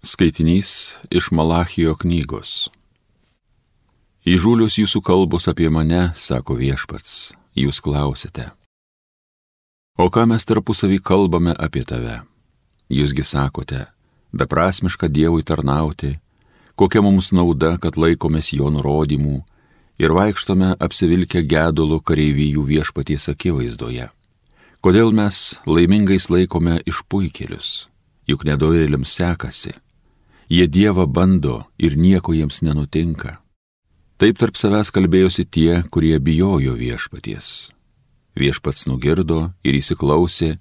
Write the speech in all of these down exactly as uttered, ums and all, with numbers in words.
Skaitinys iš Malachijo knygos. Įžūlios jūsų kalbos apie mane, sako Viešpats, jūs klausite. O ką mes tarpusavy kalbame apie tave? Jūsgi sakote, beprasmiška Dievui tarnauti, kokia mums nauda, kad laikomės jo nurodymų ir vaikštome apsivilkę gedulo kareivijų Viešpaties akivaizdoje. Kodėl mes laimingais laikome išpuikėlius, juk nedorėliams sekasi. Jie Dievą bando ir nieko jiems nenutinka. Taip tarp savęs kalbėjosi tie, kurie bijojo Viešpaties. Viešpats nugirdo ir įsiklausė,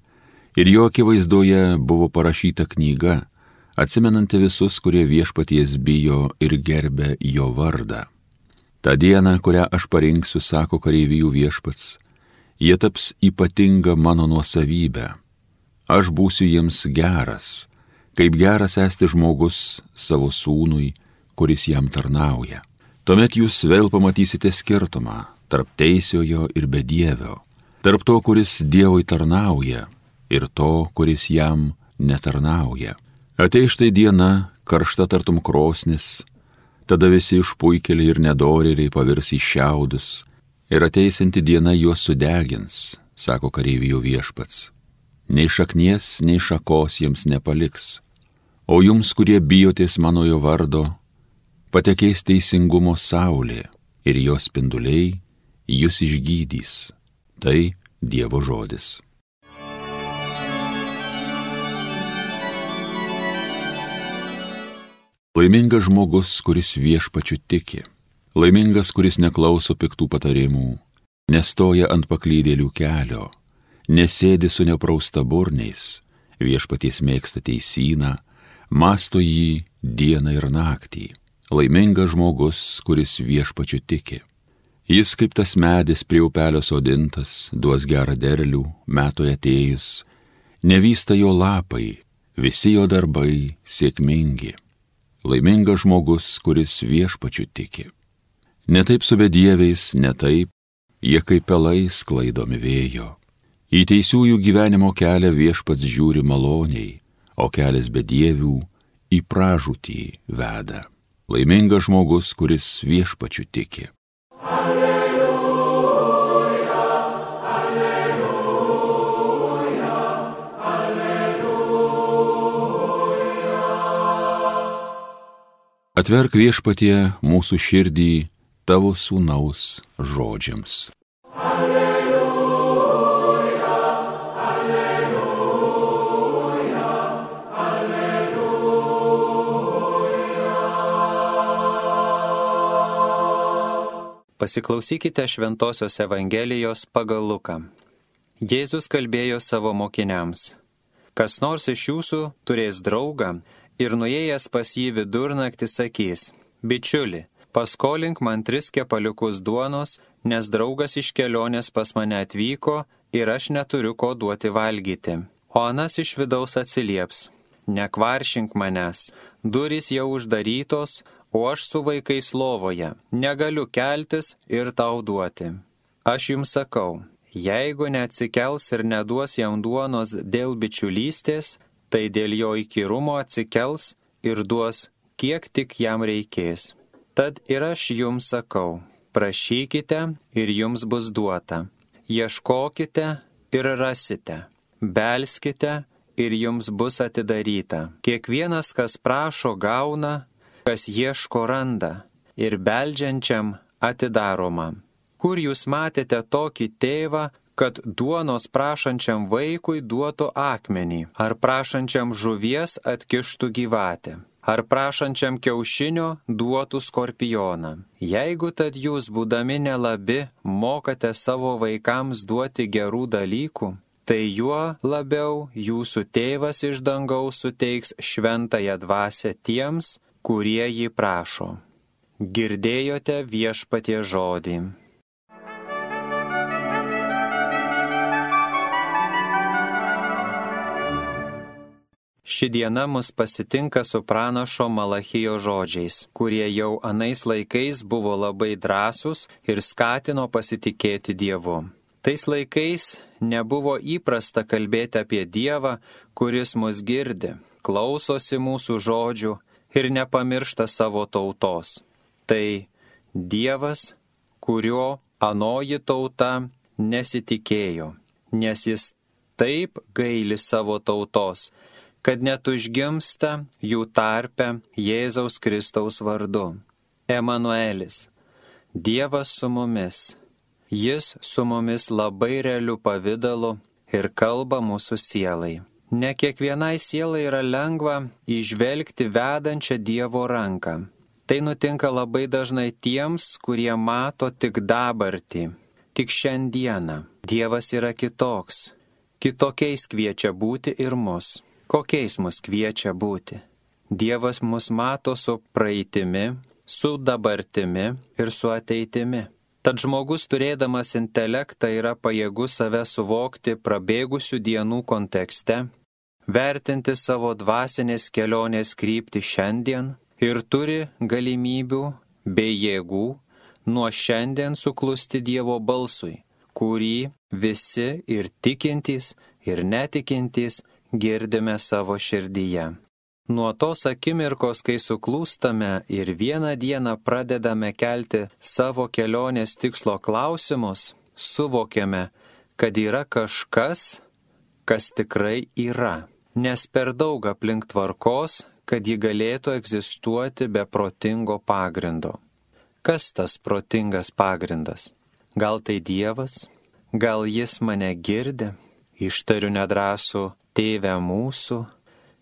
ir jo akivaizdoje buvo parašyta knyga, atsimenanti visus, kurie Viešpaties bijo ir gerbė jo vardą. Ta diena, kurią aš parinksiu, sako kareivijų Viešpats, jie taps ypatinga mano nuosavybė. Aš būsiu jiems geras, kaip geras esti žmogus savo sūnui, kuris jam tarnauja. Tuomet jūs vėl pamatysite skirtumą tarp teisiojo ir bedievio, tarp to, kuris Dievui tarnauja, ir to, kuris jam netarnauja. Ateis štai diena, karšta tartum krosnis, tada visi išpuikėliai ir nedorėliai pavirs į šiaudus, ir ateisinti diena juos sudegins, sako kareivijų Viešpats. Nei šaknies, nei šakos jiems nepaliks. O jums, kurie bijotės manojo vardo, patekės teisingumo saulė ir jos spinduliai jūs išgydys. Tai Dievo žodis. Laimingas žmogus, kuris Viešpačiu tiki. Laimingas, kuris neklauso piktų patarimų, nestoja ant paklydėlių kelio, nesėdi su nepraustaburniais, Viešpaties mėgsta teisyną, mąsto jį dieną ir naktį. Laimingas žmogus, kuris Viešpačiu tiki. Jis kaip tas medis prie upelio sodintas, duos gerą derlių, metui atėjus, nevysta jo lapai, visi jo darbai sėkmingi. Laimingas žmogus, kuris Viešpačiu tiki. Ne taip su bedieviais, ne taip, jie kaip pelai sklaidomi vėjo. Į teisiųjų gyvenimo kelią Viešpats žiūri maloniai, o kelias bedievių į pražūtį veda. Laimingas žmogus, kuris Viešpačiu tiki. Alleluja, alleluja, alleluja. Atverk Viešpatie mūsų širdį tavo sūnaus žodžiams. Alleluja, alleluja, alleluja. Pasiklausykite Šventosios Evangelijos pagal Luką. Jėzus kalbėjo savo mokiniams. Kas nors iš jūsų turės draugą ir nuėjęs pas jį vidurnaktį sakys: bičiuli, paskolink man tris kepaliukus duonos, nes draugas iš kelionės pas mane atvyko ir aš neturiu ko duoti valgyti. O anas iš vidaus atsilieps: nekvaršink manęs, durys jau uždarytos, o aš su vaikais lovoje, negaliu keltis ir tau duoti. Aš jums sakau, jeigu neatsikels ir neduos jam duonos dėl bičiulystės, tai dėl jo įkyrumo atsikels ir duos, kiek tik jam reikės. Tad ir aš jums sakau, prašykite ir jums bus duota, ieškokite ir rasite, belskite ir jums bus atidaryta. Kiekvienas, kas prašo, gauna, kas ieško, randa, ir beldžiančiam atidaroma. Kur jūs matėte tokį tėvą, kad duonos prašančiam vaikui duotų akmenį, ar prašančiam žuvies atkištų gyvatę, ar prašančiam kiaušinio duotų skorpioną? Jeigu tad jūs, būdami nelabi, mokate savo vaikams duoti gerų dalykų, tai juo labiau jūsų tėvas iš dangaus suteiks šventąją dvasią tiems, kurie jį prašo. Girdėjote Viešpaties žodį. Ši diena mus pasitinka su pranašo Malachijo žodžiais, kurie jau anais laikais buvo labai drąsūs ir skatino pasitikėti Dievu. Tais laikais nebuvo įprasta kalbėti apie Dievą, kuris mus girdi, klausosi mūsų žodžių ir nepamiršta savo tautos. Tai Dievas, kurio anoji tauta nesitikėjo, nes jis taip gaili savo tautos, kad net užgimsta jų tarpe Jėzaus Kristaus vardu. Emanuelis, Dievas su mumis. Jis su mumis labai realiu pavidalu ir kalba mūsų sielai. Ne kiekvienai sielai yra lengva įžvelgti vedančią Dievo ranką. Tai nutinka labai dažnai tiems, kurie mato tik dabartį, tik šiandieną. Dievas yra kitoks. Kitokiais kviečia būti ir mus. Kokiais mus kviečia būti? Dievas mus mato su praeitimi, su dabartimi ir su ateitimi. Tad žmogus turėdamas intelektą yra pajėgus save suvokti prabėgusių dienų kontekste, vertinti savo dvasinės kelionės kryptį šiandien ir turi galimybių bei jėgų nuo šiandien suklusti Dievo balsui, kurį visi ir tikintys, ir netikintys girdime savo širdyje. Nuo tos akimirkos, kai suklūstame ir vieną dieną pradedame kelti savo kelionės tikslo klausimus, suvokiame, kad yra kažkas, kas tikrai yra, nes per daug aplink tvarkos, kad ji galėtų egzistuoti be protingo pagrindo. Kas tas protingas pagrindas? Gal tai Dievas? Gal jis mane girdi? Ištariu nedrąsų Tėve mūsų.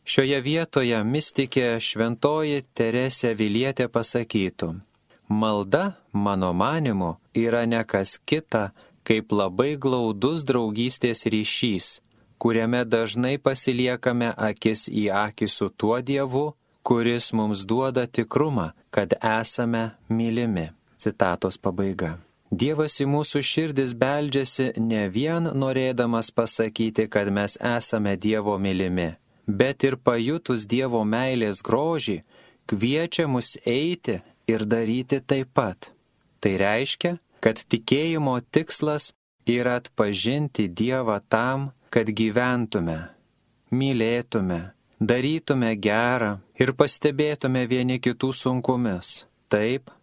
Šioje vietoje mistikė šventoji Teresė Avilietė pasakytų: malda, mano manimu, yra ne kas kita, kaip labai glaudus draugystės ryšys, kuriame dažnai pasiliekame akis į akį su tuo Dievu, kuris mums duoda tikrumą, kad esame mylimi. Citatos pabaiga. Dievas į mūsų širdis beldžiasi ne vien norėdamas pasakyti, kad mes esame Dievo mylimi, bet ir pajutus Dievo meilės grožį, kviečia mus eiti ir daryti taip pat. Tai reiškia, kad tikėjimo tikslas yra atpažinti Dievą tam, kad gyventume, mylėtume, darytume gerą ir pastebėtume vieni kitų sunkumus, taip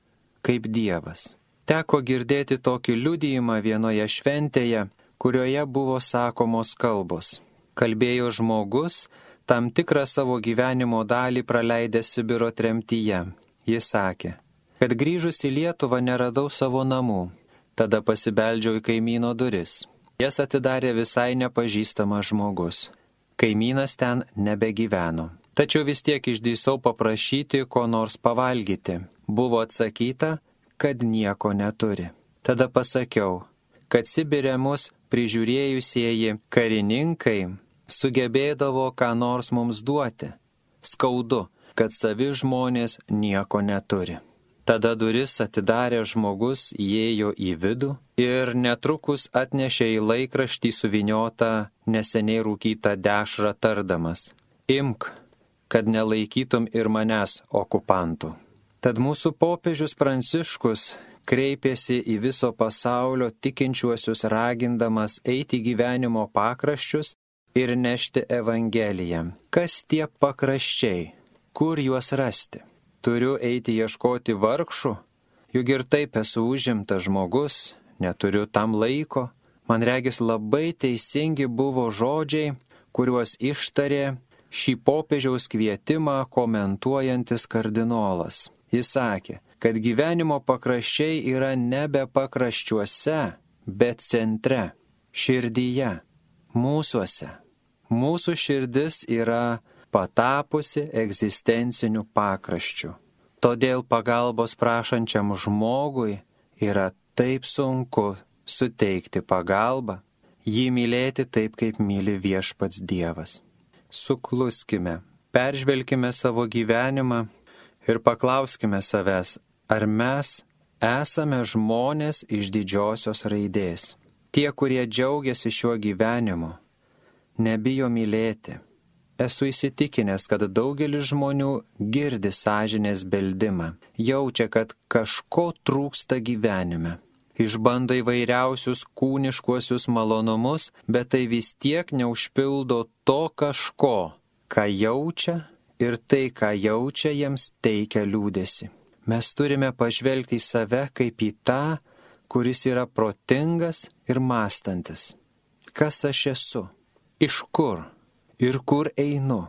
kaip Dievas. Teko girdėti tokį liudijimą vienoje šventėje, kurioje buvo sakomos kalbos. Kalbėjo žmogus, tam tikrą savo gyvenimo dalį praleidęs Sibiro tremtyje. Jis sakė, kad grįžus į Lietuvą neradau savo namų. Tada pasibeldžiau į kaimyno duris. Jas atidarė visai nepažįstamas žmogus. Kaimynas ten nebegyveno. Tačiau vis tiek išdrįsau paprašyti ko nors pavalgyti. Buvo atsakyta, kad nieko neturi. Tada pasakiau, kad Sibire mus prižiūrėjusieji karininkai sugebėdavo ką nors mums duoti. Skaudu, kad savi žmonės nieko neturi. Tada duris atidarė žmogus, įėjo į vidų ir netrukus atnešė į laikraštį suvyniotą neseniai rūkytą dešrą tardamas: imk, kad nelaikytum ir manęs okupantų. Tad mūsų popiežius Pranciškus kreipėsi į viso pasaulio tikinčiuosius ragindamas eiti gyvenimo pakraščius ir nešti Evangeliją. Kas tie pakraščiai? Kur juos rasti? Turiu eiti ieškoti vargšų? Juk ir taip esu užimtas žmogus, neturiu tam laiko. Man regis labai teisingi buvo žodžiai, kuriuos ištarė šį popiežiaus kvietimą komentuojantis kardinolas. Jis sakė, kad gyvenimo pakraščiai yra nebe pakraščiuose, bet centre, širdyje, mūsuose. Mūsų širdis yra patapusi egzistenciniu pakraščiu. Todėl pagalbos prašančiam žmogui yra taip sunku suteikti pagalbą, jį mylėti taip, kaip myli viešpats Dievas. Sukluskime, peržvelkime savo gyvenimą ir paklauskime savęs, ar mes esame žmonės iš didžiosios raidės. Tie, kurie džiaugiasi šiuo gyvenimu, nebijo mylėti. Esu įsitikinęs, kad daugelis žmonių girdi sąžinės beldimą, jaučia, kad kažko trūksta gyvenime. Išbando įvairiausius kūniškuosius malonumus, bet tai vis tiek neužpildo to kažko, ką jaučia ir tai, ką jaučia, jiems teikia liūdėsi. Mes turime pažvelgti į save kaip į tą, kuris yra protingas ir mąstantis. Kas aš esu? Iš kur? Ir kur einu?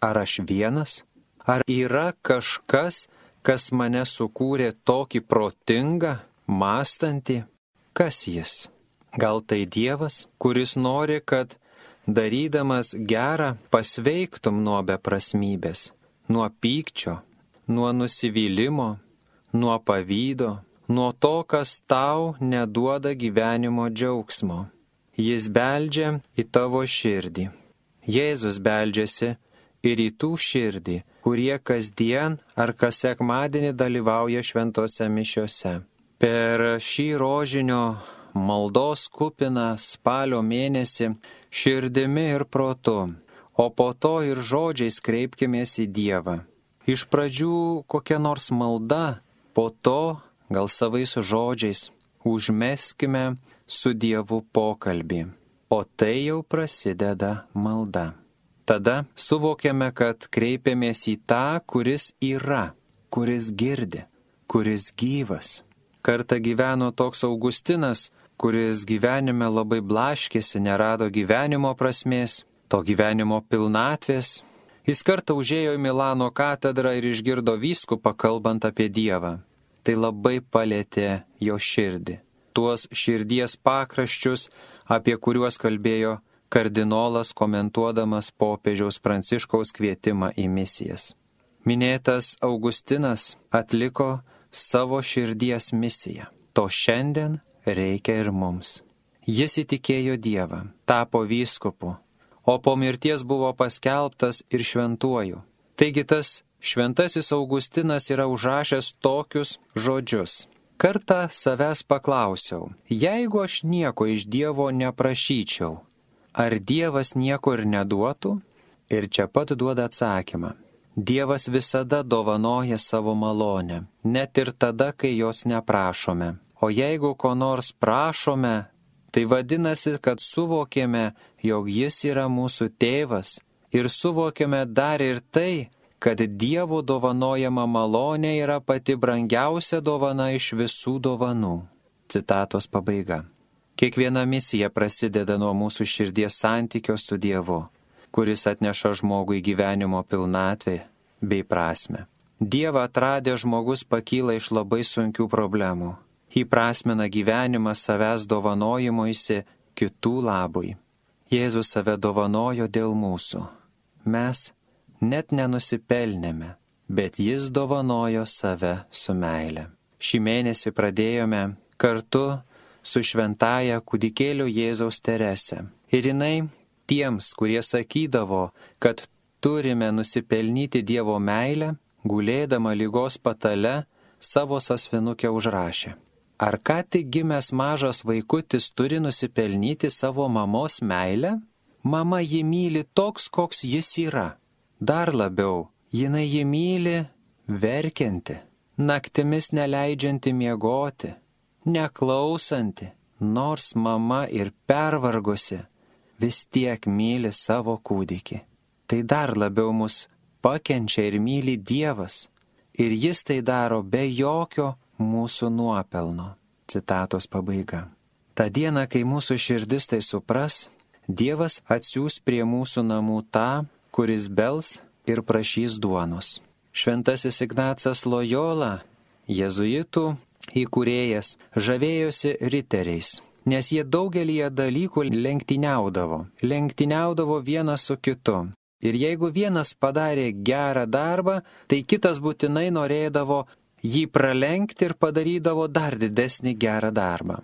Ar aš vienas? Ar yra kažkas, kas mane sukūrė tokį protingą, mąstantį? Kas jis? Gal tai Dievas, kuris nori, kad darydamas gerą pasveiktum nuo beprasmybės, nuo pykčio, nuo nusivylimo, nuo pavydo, nuo to, kas tau neduoda gyvenimo džiaugsmo. Jis beldžia į tavo širdį. Jėzus beldžiasi ir į tų širdį, kurie kasdien ar kas sekmadienį dalyvauja šventose mišiose. Per šį rožinio maldos kupiną spalio mėnesį širdimi ir protu, o po to ir žodžiais kreipkimės į Dievą. Iš pradžių kokia nors malda, po to gal savais žodžiais užmeskime su Dievu pokalbį, o tai jau prasideda malda. Tada suvokiame, kad kreipiamės į tą, kuris yra, kuris girdi, kuris gyvas. Kartą gyveno toks Augustinas, kuris gyvenime labai blaškėsi, nerado gyvenimo prasmės, to gyvenimo pilnatvės. Jis kartą užėjo į Milano katedrą ir išgirdo vyskupą kalbant apie Dievą. Tai labai palėtė jo širdį. Tuos širdies pakraščius, apie kuriuos kalbėjo kardinolas komentuodamas popiežiaus Pranciškaus kvietimą į misijas. Minėtas Augustinas atliko savo širdies misiją. To šiandien reikia ir mums. Jis įtikėjo Dievą, tapo vyskupu, o po mirties buvo paskelbtas ir šventuoju. Taigi tas šventasis Augustinas yra užrašęs tokius žodžius. Kartą savęs paklausiau, jeigu aš nieko iš Dievo neprašyčiau, ar Dievas nieko ir neduotų? Ir čia pat duoda atsakymą. Dievas visada dovanoja savo malonę, net ir tada, kai jos neprašome. O jeigu ko nors prašome, tai vadinasi, kad suvokėme, jog Jis yra mūsų tėvas ir suvokėme dar ir tai, kad Dievo dovanojama malonė yra pati brangiausia dovana iš visų dovanų. Citatos pabaiga. Kiekviena misija prasideda nuo mūsų širdies santykio su Dievu, kuris atneša žmogui gyvenimo pilnatvę bei prasmę. Dievą atradę žmogus pakyla iš labai sunkių problemų. Įprasmina gyvenimą savęs dovanojimuisi kitų labui. Jėzus save dovanojo dėl mūsų. Mes net nenusipelnėme, bet Jis dovanojo save su meile. Šį mėnesį pradėjome kartu su šventaja kūdikėlio Jėzaus Terese. Ir jinai tiems, kurie sakydavo, kad turime nusipelnyti Dievo meilę, gulėdama ligos patale savo sąsvinukę užrašė. Ar ką tik gimęs mažas vaikutis turi nusipelnyti savo mamos meilę? Mama jį myli toks, koks jis yra. Dar labiau, jinai jį myli verkianti, naktimis neleidžianti miegoti, neklausanti, nors mama ir pervargusi, vis tiek myli savo kūdikį. Tai dar labiau mus pakenčia ir myli Dievas, ir Jis tai daro be jokio mūsų nuopelno. Citatos pabaiga. Ta diena, kai mūsų širdis tai supras, Dievas atsiųs prie mūsų namų tą, kuris bels ir prašys duonos. Šventasis Ignacas Lojola, jėzuitų įkūrėjas, žavėjosi riteriais, nes jie daugelįje dalykų lenktyniaudavo, lenktyniaudavo vienas su kitu. Ir jeigu vienas padarė gerą darbą, tai kitas būtinai norėdavo jį pralenkti ir padarydavo dar didesnį gerą darbą.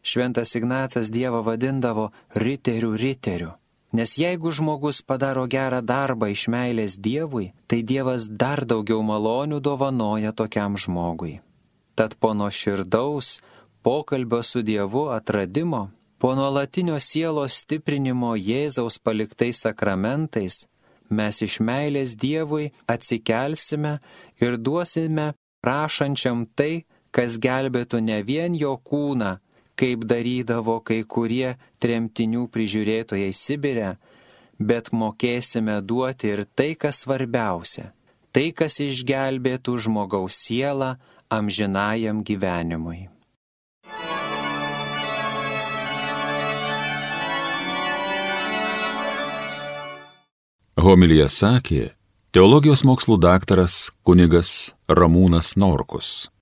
Šventas Ignacas Dievą vadindavo riterių riteriu, nes jeigu žmogus padaro gerą darbą iš meilės Dievui, tai Dievas dar daugiau malonių dovanoja tokiam žmogui. Tad po nuoširdaus pokalbio su Dievu atradimo, po nuolatinio sielos stiprinimo Jėzaus paliktais sakramentais, mes iš meilės Dievui atsikelsime ir duosime prašančiam tai, kas gelbėtų ne vien jo kūną, kaip darydavo kai kurie tremtinių prižiūrėtojai Sibire, bet mokėsime duoti ir tai, kas svarbiausia, tai, kas išgelbėtų žmogaus sielą amžinajam gyvenimui. Homiliją sakė teologijos mokslų daktaras kunigas Ramūnas Norkus.